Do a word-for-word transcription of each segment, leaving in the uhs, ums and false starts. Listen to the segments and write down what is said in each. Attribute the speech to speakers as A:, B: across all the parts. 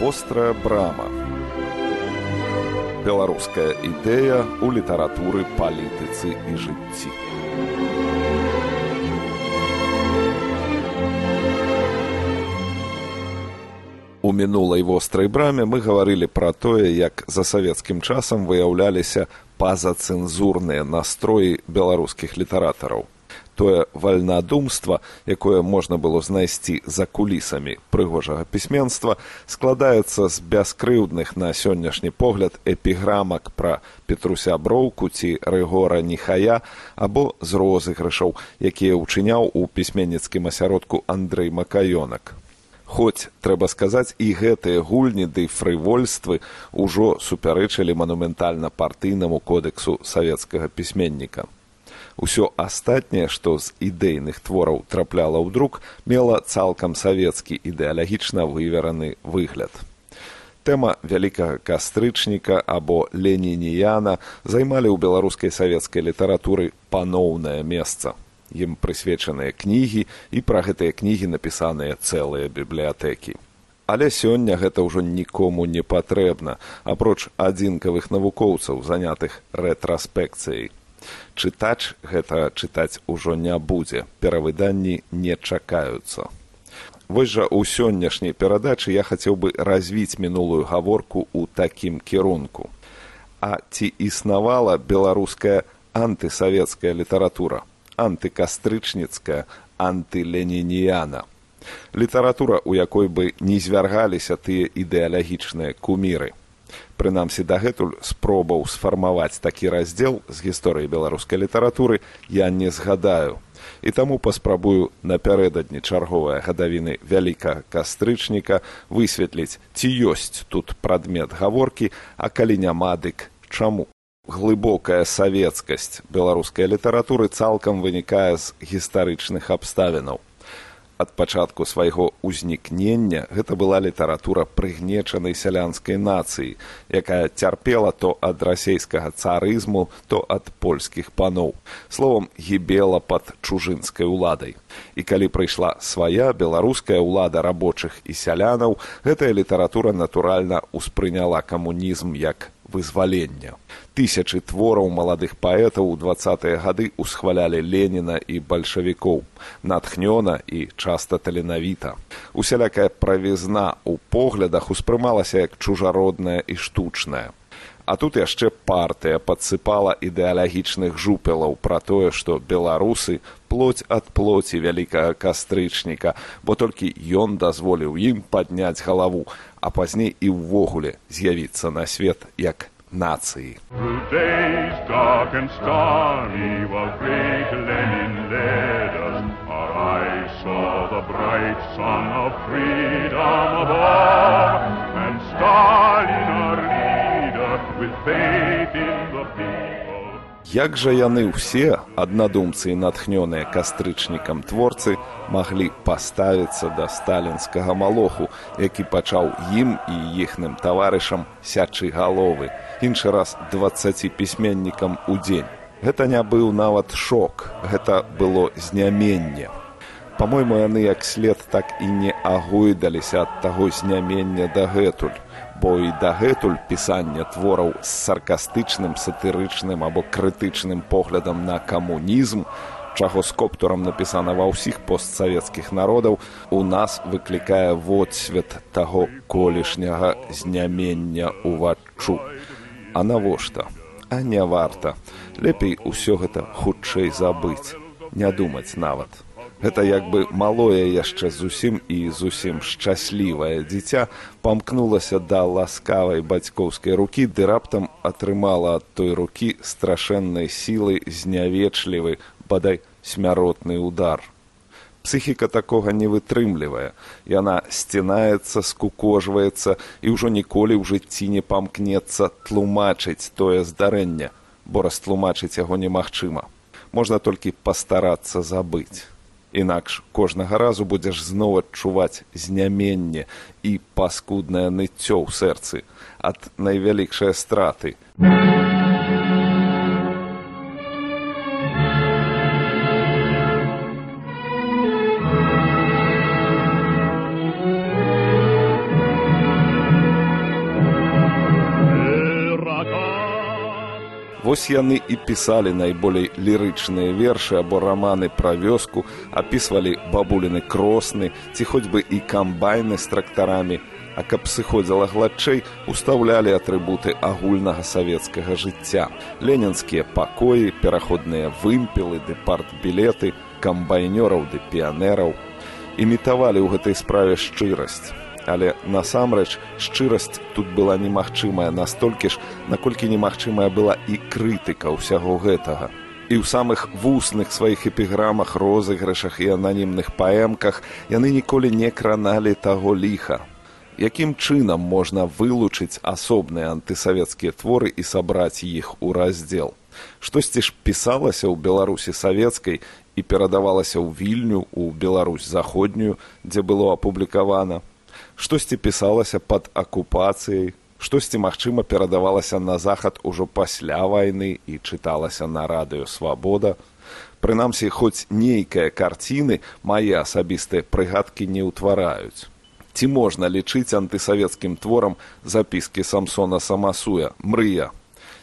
A: Вострая брама. Беларуская ідэя ў літаратуры, палітыцы і жыцці. У мінулай вострай браме мы гаварылі пра тое, як за савецкім часам выяўляліся пазацэнзурныя настроі беларускіх літаратараў. Тое вальнадумства, якое можна было знайсці за кулісамі прыгожага пісьменства, складаецца з бяскрыўдных на сённяшні погляд эпіграмак пра Петруся Броўку ці Рыгора Нехая або з розыгрышаў, якія ўчыняў у пісьменніцкім асяродку Андрэй Макаёнак. Хоць, трэба сказаць, і гэтыя гульні ды фрывольствы ўжо супярэчылі манументальна-партыйнаму кодэксу савецкага пісьменніка. Усё астатняе, што з ідэйных твораў трапляла ў друк, мела цалкам савецкі ідэалагічна вывераны выгляд. Тэма вялікага кастрычніка або ленініяна займалі ў беларускай савецкай літаратуры паноўнае месца. Ім прысвечаныя кнігі, і пра гэтыя кнігі напісаныя цэлыя бібліятэкі. Але сёння гэта ўжо нікому не патрэбна, апроч адзінкавых навукоўцаў, занятых рэтраспекцыяй. Чытач гэта чытаць ужо не будзе, перавыданні не чакаюцца. Вось жа ў сённяшняй перадачы я хацеў бы развіць мінулую гаворку ў такім кірунку. А ці існавала беларуская антысавецкая літаратура, антыкастрычніцкая, антыленініяна? Літаратура, у якой бы не звяргаліся тыя ідэалагічныя куміры. Прынамсі, дагэтуль спробаў сфармаваць такі раздзел з гісторыі беларускай літаратуры я не згадаю. І таму паспрабую напярэдадні чарговыя гадавіны вялікага кастрычніка высветліць, ці ёсць тут прадмет гаворкі, а калі няма, дык чаму. Глыбокая савецкасць беларускай літаратуры цалкам вынікае з гістарычных абставінаў. Ад пачатку свайго ўзнікнення гэта была літаратура прыгнечанай сялянскай нацыі, якая цярпела то ад расейскага царызму, то ад польскіх паноў. Словам, гібела пад чужынскай уладай. І калі прыйшла свая беларуская ўлада рабочых і сялянаў, гэтая літаратура натуральна ўспрыняла камунізм як вызвалення. Тысячы твораў маладых паэтаў у дваццатыя гады усхвалялі Леніна і бальшавікоў, натхнёна і часта таленавіта. Усялякая правізна ў поглядах успрымалася як чужародная і штучная. А тут яшчэ партыя падсыпала ідэалагічных жупелаў пра тое, што беларусы плоць ад плоці вялікага кастрычніка, бо толькі ён дазволіў ім падняць галаву, а пазней і ўвогуле з'явіцца на свет як нацыі. Як жа яны ўсе, аднадумцы і натхнёныя кастрычнікам творцы, маглі паставіцца да сталінскага малоху, які пачаў ім і іхным таварышам сячы галовы, іншы раз дваццаці пісьменнікам у дзень. Гэта не быў нават шок, гэта было зняменне. Па-мойму, яны як след так і не агойдаліся ад таго знямення дагэтуль, бо і дагэтуль пісанне твораў з саркастычным, сатырычным або крытычным поглядам на камунізм, чаго з коптурам напісана ва ўсіх постсавецкіх народаў, у нас выклікае водсвет таго колішняга знямення уваччу. А навошта? А не варта. Лепей усё гэта хутчэй забыць, не думаць нават. Гэта як бы малое яшчэ зусім і зусім шчаслівае дзіця памкнулася да ласкавай бацькоўскай рукі, ды раптам атрымала ад той рукі страшэннай сілай знявечлівы, бадай смяротны удар. Псіхіка такога не вытрымлівае. Яна сцінаецца, скукожваецца і ўжо ніколі ў жыцці не памкнецца тлумачыць тое здарэнне, бо растлумачыць яго немагчыма. Можна толькі пастарацца забыць. Інакш кожнага разу будзеш зноў адчуваць зняменне і паскуднае ныццё ў сэрцы ад найвялікшай страты. Вось яны і пісалі найболей лірычныя вершы або раманы пра вёску, апісвалі бабуліны кросны, ці хоць бы і камбайны з трактарамі, а каб сыходзіла гладчэй, устаўлялі атрыбуты агульнага савецкага жыцця. Ленінскія пакоі, пераходныя вымпелы ды партбілеты, камбайнёраў ды піянераў. Імітавалі ў гэтай справе шчырасць. Але насамрэч шчырасць тут была немагчымая настолькі ж, наколькі немагчымая была і крытыка ўсяго гэтага. І ў самых вусных сваіх эпіграмах, розыгрышах і ананімных паэмках яны ніколі не краналі таго ліха. Якім чынам можна вылучыць асобныя антысавецкія творы і сабраць іх у раздзел? Штосьці ж пісалася ў Беларусі савецкай і перадавалася ў Вільню, у Беларусь заходнюю, дзе было апублікавана. Штосьці пісалася пад акупацыяй, штосьці, магчыма, перадавалася на захад ужо пасля вайны і чыталася на радыё «Свабода». Прынамсі, хоць нейкая карціны мае асабістыя прыгадкі не ўтвараюць. Ці можна лічыць антысавецкім творам запіскі Самсона Самасуя «Мрыя»?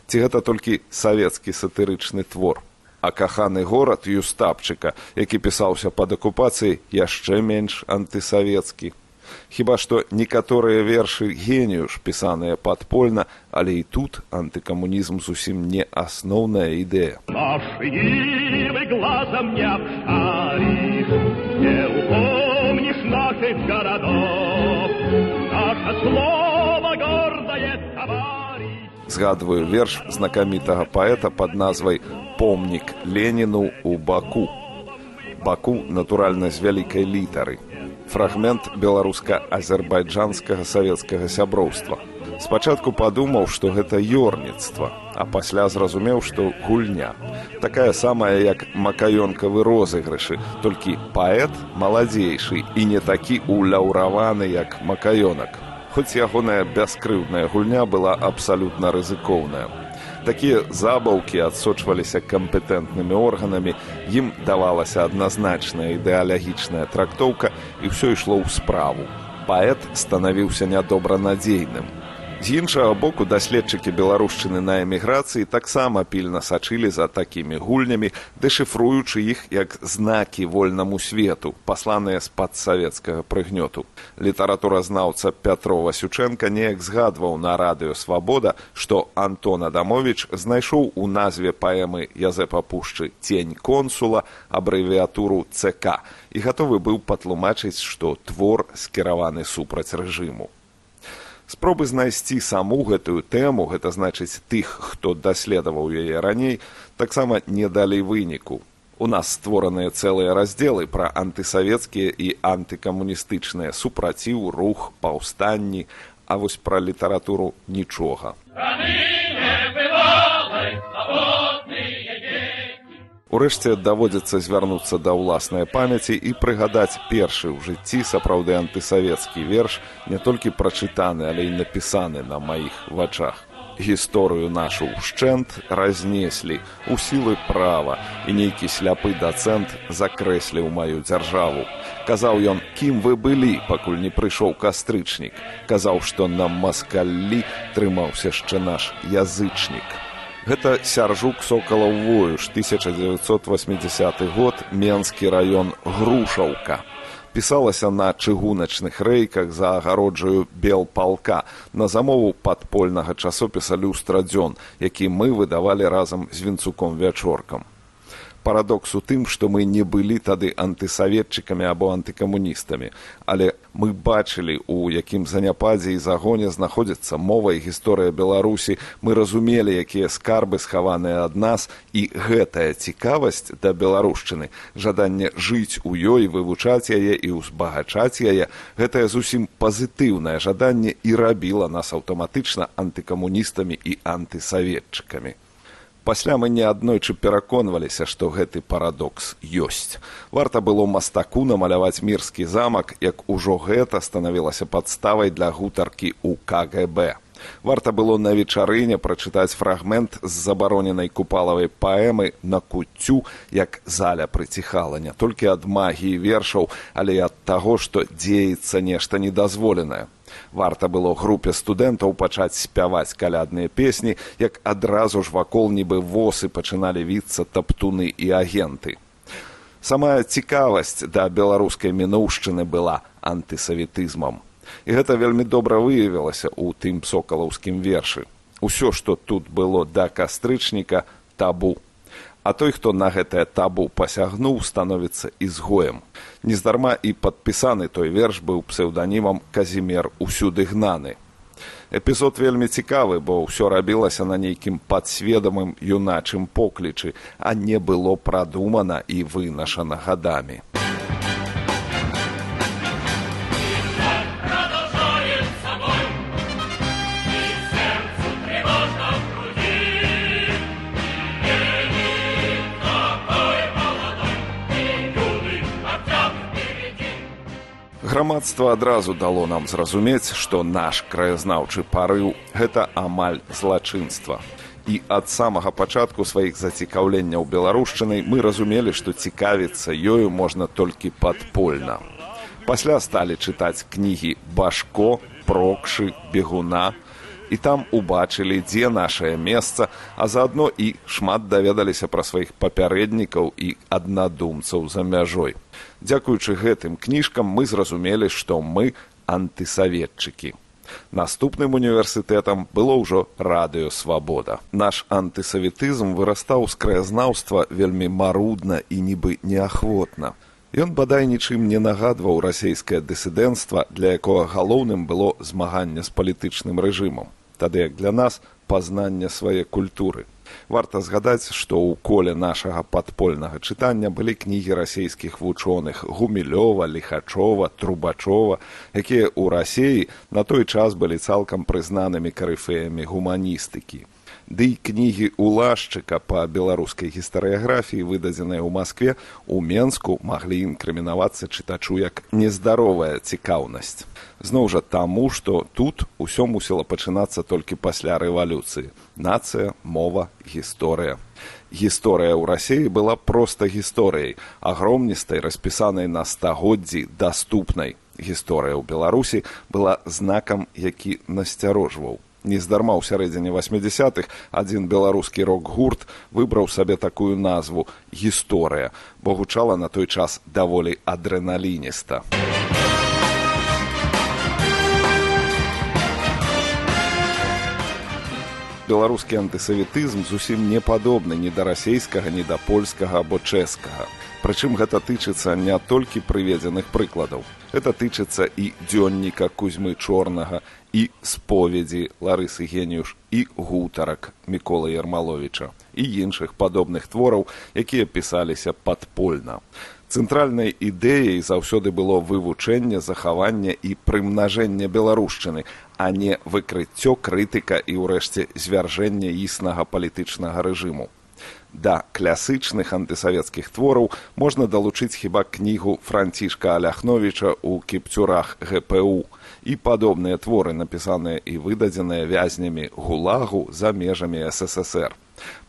A: Ці гэта толькі савецкі сатырычны твор? А каханы горад Юстапчыка, які пісаўся пад акупацыяй, яшчэ менш антысавецкі. Хіба што некаторыя вершы генію ж пісаныя падпольна, але і тут антыкамунізм зусім не асноўная ідэя.
B: Наши нивы глазом не обшаришь, не упомнишь наших городов, наше слово гордое товарищ.
A: Згадваю верш знакамітага паэта пад назвай «Помнік Леніну ў Баку». Баку, натуральна, з вялікай літары. Фрагмент беларуска-азербайджанскага савецкага сяброўства. Спачатку падумаў, што гэта ёрніцтва, а пасля зразумеў, што гульня. Такая самая, як макаёнкавы розыгрышы, толькі паэт маладзейшы і не такі уляўраваны, як макаёнак. Хоць ягоная бяскрыўдная гульня была абсалютна рызыкоўная. Такія забаўкі адсочваліся кампетэнтнымі органамі, ім давалася адназначная ідэалагічная трактоўка, і ўсё ішло ў справу. Паэт станавіўся нядобранадзейным. З іншага боку, даследчыкі беларушчыны на эміграцыі таксама пільна сачылі за такімі гульнямі, дэшыфруючы іх як знакі вольнаму свету, пасланыя з-пад савецкага прыгнёту. Літаратуразнаўца Пятро Васючэнка неяк згадваў на радыё «Свабода», што Антон Адамовіч знайшоў у назве паэмы Язэпа Пушчы «Цень консула» абрэвіатуру «цэ ка» і гатовы быў патлумачыць, што твор скіраваны супраць рэжыму. Спробы знайсці саму гэтую тэму, гэта значыць тых, хто даследаваў яе раней, таксама не далі выніку. У нас створаныя цэлыя раздзелы пра антысавецкія і антыкамуністычныя супраціў, рух, паўстанні, а вось пра літаратуру нічога. Урэшце даводзіцца звярнуцца да ўласнай памяці і прыгадаць першы ў жыцці сапраўды антысавецкі верш, не толькі прачытаны, але і напісаны на маіх вачах. Гісторыю нашу ўшчэнт разнеслі у сілы права, і нейкі сляпы дацэнт закрэсліў маю дзяржаву. Казаў ён, кім вы былі, пакуль не прыйшоў кастрычнік. Казаў, што на маскаллі трымаўся яшчэ наш язычнік. Гэта Сяржук Сокалаў Воюш, тысяча дзевяцьсот васьмідзясяты год, Менскі раён, Грушаўка. Пісалася на чыгуначных рэйках за агароджаю Белпалка на замову падпольнага часопіса «Люстрадзён», які мы выдавалі разам з Вінцуком Вячоркам. Парадокс у тым, што мы не былі тады антысаветчыкамі або антыкамуністамі, але мы бачылі, у якім заняпадзе і загоне знаходзіцца мова і гісторыя Беларусі, мы разумелі, якія скарбы схаваныя ад нас, і гэтая цікавасць да беларушчыны, жаданне жыць у ёй, вывучаць яе і ўзбагачаць яе, гэтае зусім пазітыўнае жаданне і рабіла нас аўтаматычна антыкамуністамі і антысаветчыкамі. Пасля мы неаднойчы пераконваліся, што гэты парадокс ёсць. Варта было мастаку намаляваць мірскі замак, як ужо гэта станавілася падставай для гутаркі ў ка гэ бэ. Варта было на вечарыне прачытаць фрагмент з забароненай купалавай паэмы на куццю, як заля прыціхала не толькі ад магіі вершаў, але і ад таго, што дзеецца нешта недазволенае. Варта было групе студэнтаў пачаць спяваць калядныя песні, як адразу ж вакол нібы восы пачыналі віцца таптуны і агенты. Самая цікавасць да беларускай мінуўшчыны была антысаветызмам. І гэта вельмі добра выявілася ў тым сокалаўскім вершы. Усё, што тут было да кастрычніка, табу. А той, хто на гэтае табу пасягнуў, становіцца ізгоем. Нездарма і падпісаны той верш быў псеўданімам «Казімер усюды гнаны». Эпізод вельмі цікавы, бо ўсё рабілася на нейкім падсведамым юначым поклічы, а не было прадумана і вынашана гадамі. Грамадства адразу дало нам зразумець, што наш краязнаўчы парыў – гэта амаль злачынства. І ад самага пачатку сваіх зацікаўленняў беларушчынай мы разумелі, што цікавіцца ёю можна толькі падпольна. Пасля сталі чытаць кнігі Башко, Прокшы, Бегуна, і там убачылі, дзе нашае месца, а заадно і шмат даведаліся пра сваіх папярэднікаў і аднадумцаў за мяжой. Дзякуючы гэтым кніжкам мы зразумелі, што мы антысаветчыкі. Наступным універсітэтам было ўжо радыё «Свабода». Наш антысаветызм вырастаў з краязнаўства вельмі марудна і нібы неахвотна. Ён бадай нічым не нагадваў расейскае дысідэнцтва, для якога галоўным было змаганне з палітычным рэжымам. Тады як для нас пазнанне свае культуры. Варта згадаць, што ў коле нашага падпольнага чытання былі кнігі расейскіх вучоных Гумілёва, Ліхачова, Трубачова, якія ў Расеі на той час былі цалкам прызнанымі карыфеямі гуманістыкі. Ды і кнігі Улашчыка па беларускай гістарыяграфіі, выдадзеныя ў Маскве, у Менску маглі інкрымінавацца чытачу як нездаровая цікаўнасць. Зноў жа таму, што тут усё мусіла пачынацца толькі пасля рэвалюцыі. Нацыя, мова, гісторыя. Гісторыя ў Расеі была проста гісторыяй, агромністай, распісанай на стагоддзі, даступнай. Гісторыя ў Беларусі была знакам, які насцярожваў. Нездарма ў сярэдзіне васьмідзясятых адзін беларускі рок-гурт выбраў сабе такую назву «Гісторыя», бо гучала на той час даволі адрэналініста. Беларускі антысаветызм зусім не падобны ні да расейскага, ні да польскага або чэшскага. Прычым гэта тычыцца не толькі прыведзеных прыкладаў. Гэта тычыцца і дзённіка Кузьмы Чорнага, і споведзі Ларысы Геніюш, і гутарак Міколы Ярмаловіча, і іншых падобных твораў, якія пісаліся падпольна. Цэнтральнай ідэяй заўсёды было вывучэнне, захаванне і прымнажэнне беларушчыны, а не выкрыццё, крытыка і, ўрэшце, звяржэнне існага палітычнага рэжыму. Да класычных антысавецкіх твораў можна далучыць хіба кнігу Францішка Аляхновіча ў кіпцюрах гэ пэ у і падобныя творы, напісаныя і выдадзеныя вязнямі ГУЛАГу за межамі эс эс эс эр.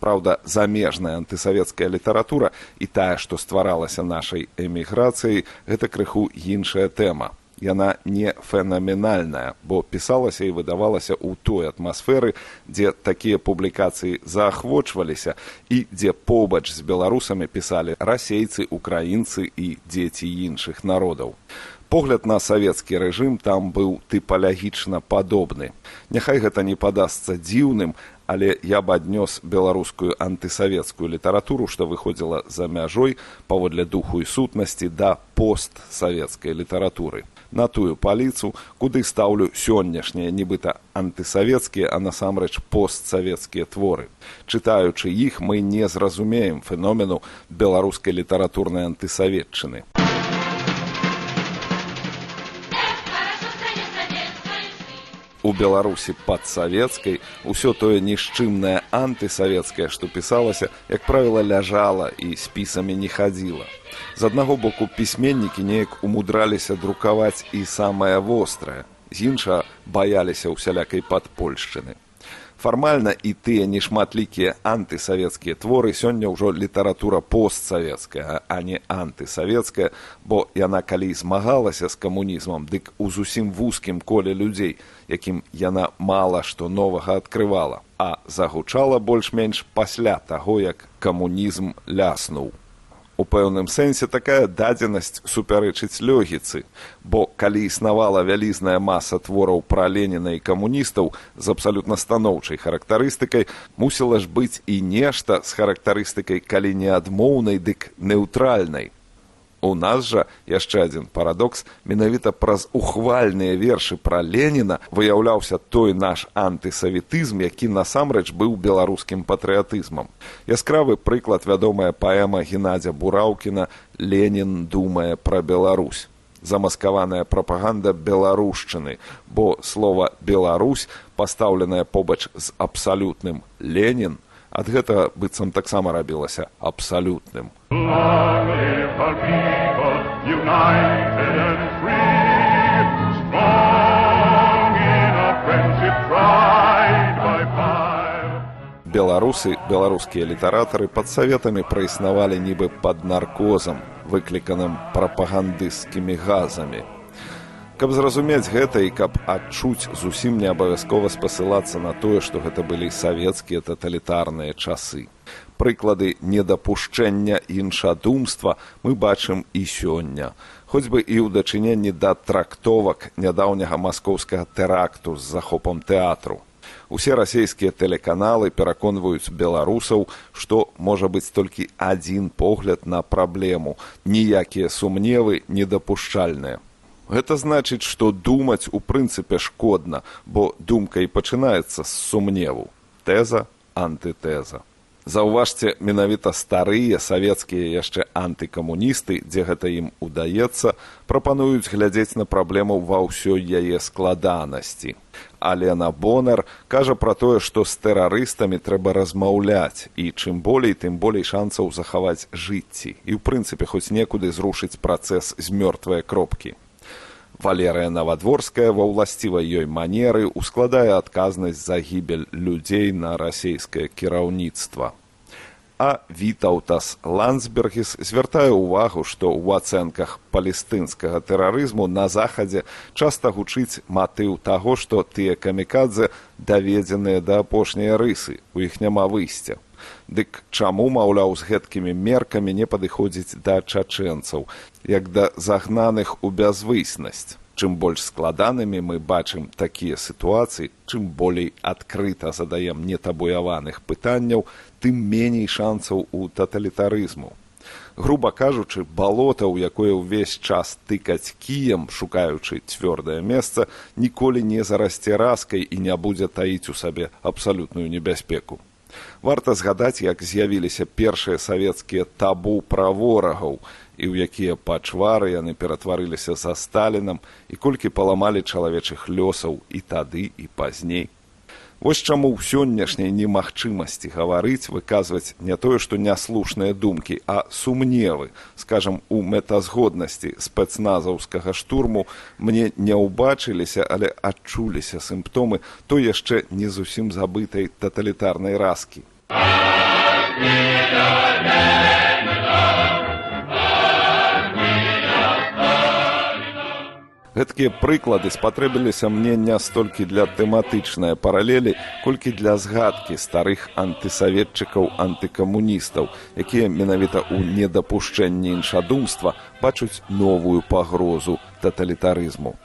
A: Праўда, замежная антысавецкая літаратура і тая, што стваралася нашай эміграцыяй, гэта крыху іншая тэма. Яна не фенаменальная, бо пісалася і выдавалася ў той атмасферы, дзе такія публікацыі заахвочваліся і дзе побач з беларусамі пісалі расейцы, украінцы і дзеці іншых народаў. Погляд на савецкі рэжым там быў тыпалагічна падобны. Няхай гэта не падасца дзіўным, але я б аднёс беларускую антысавецкую літаратуру, што выходзіла за мяжой паводле духу і сутнасці да постсавецкай літаратуры. На тую паліцу, куды стаўлю сённяшнія нібыта антысавецкія, а насамрэч постсавецкія творы. Чытаючы іх, мы не зразумеем феномену беларускай літаратурнай антысаветчыны. У Беларусі падсавецкай усё тое нішчымнае антысавецкае, што пісалася, як правіла, ляжала і спісамі не хадзіла. З аднаго боку, пісьменнікі неяк умудраліся друкаваць і самае вострае, з іншага баяліся ўсялякай падпольшчыны. Фармальна і тыя нешматлікія антысавецкія творы сёння ўжо літаратура постсавецкая, а не антысавецкая, бо яна калі змагалася з камунізмам, дык у зусім вузкім коле людзей, якім яна мала што новага адкрывала, а загучала больш-менш пасля таго, як камунізм ляснуў. У пэўным сэнсе такая дадзенасць супярэчыць логіцы, бо калі існавала вялізная маса твораў пра Леніна і камуністаў з абсалютна станоўчай характарыстыкай, мусіла ж быць і нешта з характарыстыкай калі не адмоўнай, дык неўтральнай. У нас жа яшчэ адзін парадокс, менавіта праз ухвальныя вершы пра Леніна выяўляўся той наш антысаветызм, які насамрэч быў беларускім патрыятызмам. Яскравы прыклад вядомая паэма Геннадзя Бураўкіна «Ленін думае пра Беларусь». Замаскаваная прапаганда беларушчыны, бо слова «Беларусь», пастаўленае побач з абсалютным «Ленін», ад гэтага быццам таксама рабілася абсалютным. Беларусы, беларускія літаратары пад саветамі праіснавалі нібы пад наркозам, выкліканым прапагандысцкімі газамі. Каб зразумець гэта і каб адчуць, зусім не абавязкова спасылацца на тое, што гэта былі савецкія таталітарныя часы. Прыклады недапушчэння іншадумства мы бачым і сёння, хоць бы і ў дачыненні да трактовак нядаўняга маскоўскага тэракту з захопам тэатру. Усе расійскія тэлеканалы пераконваюць беларусаў, што можа быць толькі адзін погляд на праблему, ніякія сумневы недапушчальныя. Гэта значыць, што думаць у прынцыпе шкодна, бо думка і пачынаецца з сумневу. Тэза, антытэза. Заўважце, менавіта старыя савецкія яшчэ антыкамуністы, дзе гэта ім удаецца, прапануюць глядзець на праблему ва ўсёй яе складанасці. Алена Бонар кажа пра тое, што з тэрарыстамі трэба размаўляць, і чым болей, тым болей шанцаў захаваць жыцці, і ў прынцыпе хоць некуды зрушыць працэс з мёртвае кропкі. Валерыя Навадворская ва ўласцівай ёй манеры ускладае адказнасць за гібель людзей на расійскае кіраўніцтва. А Вітаўтас Ландсбергіс звяртае ўвагу, што ў ацэнках палестынскага тэрарызму на захадзе часта гучыць матыў таго, што тыя камікадзе даведзеныя да апошняй рысы, у іх няма выйсця. Дык чаму, маўляў, з гэткімі меркамі не падыходзіць да чачэнцаў, як да загнаных у бязвыснасць? Чым больш складанымі мы бачым такія сітуацыі, чым болей адкрыта задаем нетабуяваных пытанняў, тым меней шанцаў у таталітарызму. Груба кажучы, балота, у якое ўвесь час тыкаць кіем, шукаючы цвёрдае месца, ніколі не зарасце раскай і не будзе таіць у сабе абсалютную небяспеку. Варта згадаць, як з'явіліся першыя савецкія табу пра ворагаў, і ў якія пачвары яны ператварыліся за Сталінам, і колькі паламалі чалавечых лёсаў і тады, і пазней. Вось чаму ў сённяшняй немагчымасці гаварыць, выказваць не тое, што няслушныя думкі, а сумневы, скажам, у мэтазгоднасці спецназаўскага штурму мне не ўбачыліся, але адчуліся сімптомы той яшчэ не зусім забытай таталітарнай раскі. Гэткія прыклады спатрэбіліся мне не столькі для тэматычнай паралелі, колькі для згадкі старых антысаветчыкаў-антыкамуністаў, якія менавіта ў недапушчэнні іншадумства бачуць новую пагрозу таталітарызму.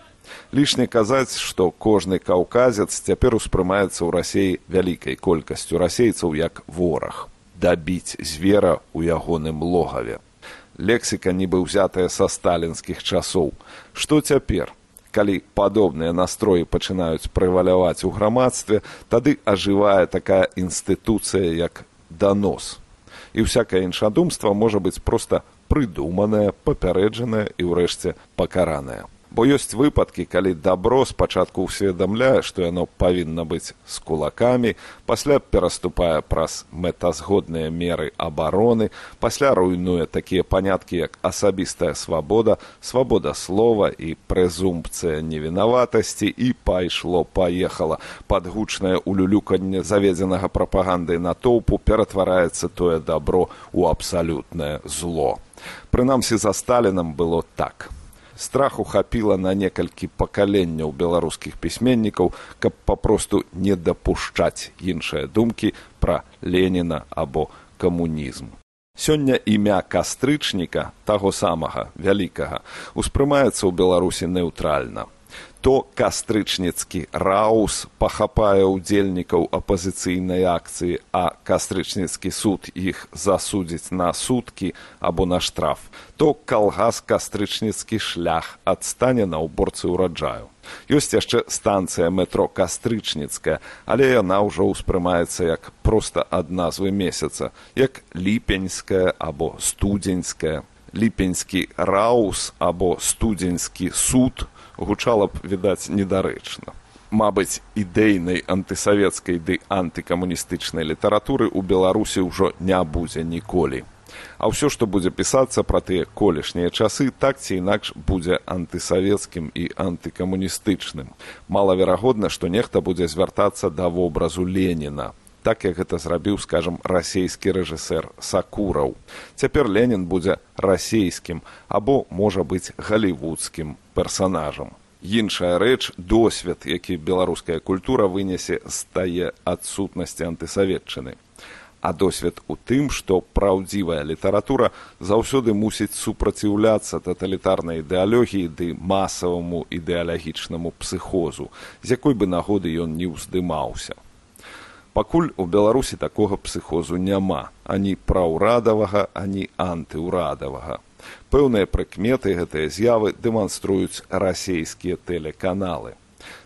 A: Лішне казаць, што кожны каўказец цяпер успрымаецца ў Расіі вялікай колькасцю расейцаў як вораг. Дабіць звера ў ягоным логаве. Лексіка нібы ўзятая са сталінскіх часоў. Што цяпер? Калі падобныя настроі пачынаюць прэваляваць у грамадстве, тады ажывае такая інстытуцыя, як данос. І ўсякае іншадумства можа быць проста прыдуманае, папярэджанае і, ўрэшце, пакаранае. Бо ёсць выпадкі, калі дабро спачатку ўсведамляе, што яно павінна быць з кулакамі, пасля пераступае праз мэтазгодныя меры абароны, пасля руйнуе такія паняткі, як асабістая свабода, свабода слова і прэзумпцыя невінаватасці, і пайшло-паехала. Пад гучнае улюлюканне заведзенага прапагандай натоўпу ператвараецца тое дабро ў абсалютнае зло. Прынамсі, за Сталінам было так. Страху хапіла на некалькі пакаленняў беларускіх пісьменнікаў, каб папросту не дапушчаць іншыя думкі пра Леніна або камунізм. Сёння імя кастрычніка, таго самага, вялікага, успрымаецца ў Беларусі неўтральна. То кастрычніцкі раус пахапае ўдзельнікаў апазіцыйнай акцыі, а кастрычніцкі суд іх засудзіць на суткі або на штраф, то калгас кастрычніцкі шлях адстане на ўборцы ўраджаю. Ёсць яшчэ станцыя метро Кастрычніцкая, але яна ўжо ўспрымаецца як проста ад назвы месяца, як ліпеньская або студзеньская. Ліпеньскі раус або студзеньскі суд гучала б, відаць, недарэчна. Мабыць, ідэйнай антысавецкай ды антыкамуністычнай літаратуры ў Беларусі ўжо не будзе ніколі. А ўсё, што будзе пісацца пра тыя колішнія часы, так ці інакш будзе антысавецкім і антыкамуністычным. Малаверагодна, што нехта будзе звяртацца да вобразу Леніна, так як гэта зрабіў, скажам, расейскі рэжысэр Сакураў. Цяпер Ленін будзе расейскім або, можа быць, галівудскім персанажам. Іншая рэч – досвед, які беларуская культура вынесе з тае адсутнасці антысаветчыны. А досвед у тым, што праўдзівая літаратура заўсёды мусіць супраціўляцца таталітарнай ідэалогіі ды масаваму ідэалагічнаму псіхозу, з якой бы нагоды ён не ўздымаўся. Пакуль у Беларусі такога псіхозу няма, ані праўрадавага, ані антыўрадавага. Пэўныя прыкметы гэтыя з'явы дэманструюць расейскія тэлеканалы.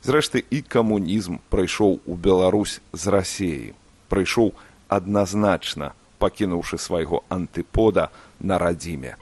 A: Зрэшты, і камунізм прыйшоў у Беларусь з Расеі. Прыйшоў адназначна, пакінуўшы свайго антыпода на радзіме.